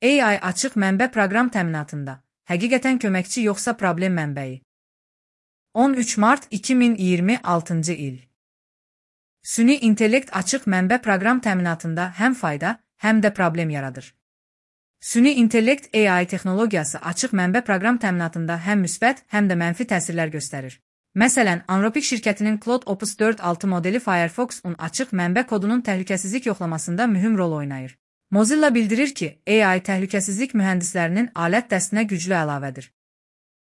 AI açıq mənbə proqram təminatında həqiqətən köməkçi yoxsa problem mənbəyi? 13 mart 2026-cı il. Süni intellekt açıq mənbə proqram təminatında həm fayda, həm də problem yaradır. Süni intellekt AI texnologiyası açıq mənbə proqram təminatında həm müsbət, həm də mənfi təsirlər göstərir. Məsələn, Anthropic şirkətinin Claude Opus 4.6 modeli Firefox-un açıq mənbə kodunun təhlükəsizlik yoxlamasında mühüm rol oynayır. Mozilla bildirir ki, AI təhlükəsizlik mühəndislərinin alət dəstinə güclü əlavədir.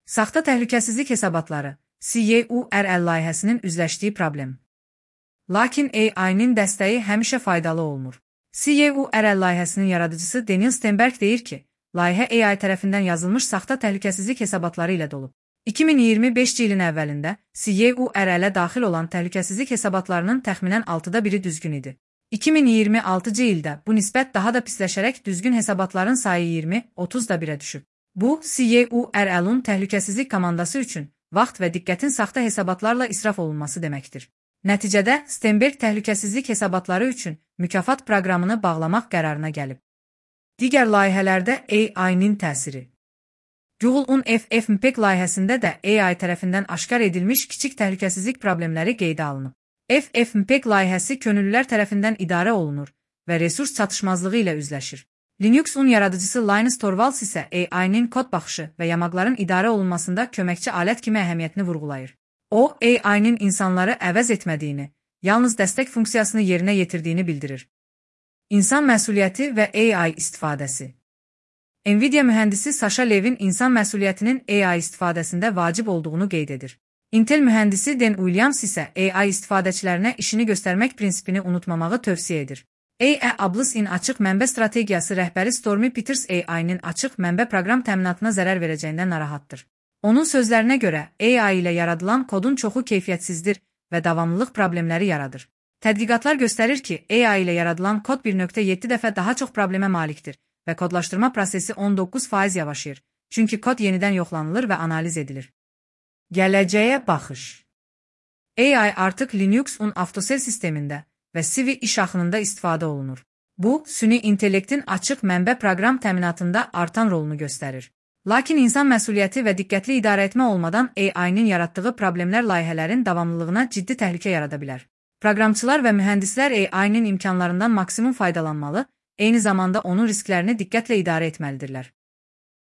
Saxta təhlükəsizlik hesabatları, CURL layihəsinin üzləşdiyi problem. Lakin AI-nin dəstəyi həmişə faydalı olmur. CURL layihəsinin yaradıcısı Daniel Stenberg deyir ki, layihə AI tərəfindən yazılmış saxta təhlükəsizlik hesabatları ilə dolub. 2025 ilin əvvəlində CURL-ə daxil olan təhlükəsizlik hesabatlarının təxminən 6-da 1-i düzgün idi. 2026-cı ildə bu nisbət daha da pisləşərək düzgün hesabatların sayı 20-30-da 1-ə düşüb. Bu, CURL-un təhlükəsizlik komandası üçün vaxt və diqqətin saxta hesabatlarla israf olunması deməkdir. Nəticədə, Stenberg təhlükəsizlik hesabatları üçün mükafat proqramını bağlamaq qərarına gəlib. Digər layihələrdə AI-nin təsiri. Google'un FFmpeg layihəsində də AI tərəfindən aşkar edilmiş kiçik təhlükəsizlik problemləri qeydə alınıb. FFmpeg layihəsi könüllülər tərəfindən idarə olunur və resurs çatışmazlığı ilə üzləşir. Linux'un yaradıcısı Linus Torvalds isə AI-nin kod baxışı və yamaqların idarə olunmasında köməkçi alət kimi əhəmiyyətini vurğulayır. O, AI-nin insanları əvəz etmədiyini, yalnız dəstək funksiyasını yerinə yetirdiyini bildirir. İnsan məsuliyyəti və AI istifadəsi. Nvidia mühəndisi Sasha Levin insan məsuliyyətinin AI istifadəsində vacib olduğunu qeyd edir. Intel mühəndisi Dan Williams isə AI istifadəçilərinə işini göstərmək prinsipini unutmamağı tövsiyə edir. AWS-in açıq mənbə strategiyası rəhbəri Stormy Peters AI-nin açıq mənbə proqram təminatına zərər verəcəyindən narahatdır. Onun sözlərinə görə, AI ilə yaradılan kodun çoxu keyfiyyətsizdir və davamlılıq problemləri yaradır. Tədqiqatlar göstərir ki, AI ilə yaradılan kod 1.7 dəfə daha çox problemə malikdir və kodlaşdırma prosesi 19% yavaşıyır, çünki kod yenidən yoxlanılır və analiz edilir. Gələcəyə baxış. AI artıq Linux'un avtosel sistemində və CV iş axınında istifadə olunur. Bu, süni intellektin açıq mənbə proqram təminatında artan rolunu göstərir. Lakin insan məsuliyyəti və diqqətli idarə etmə olmadan AI-nin yaratdığı problemlər layihələrin davamlılığına ciddi təhlükə yarada bilər. Proqramçılar və mühəndislər AI-nin imkanlarından maksimum faydalanmalı, eyni zamanda onun risklərini diqqətlə idarə etməlidirlər.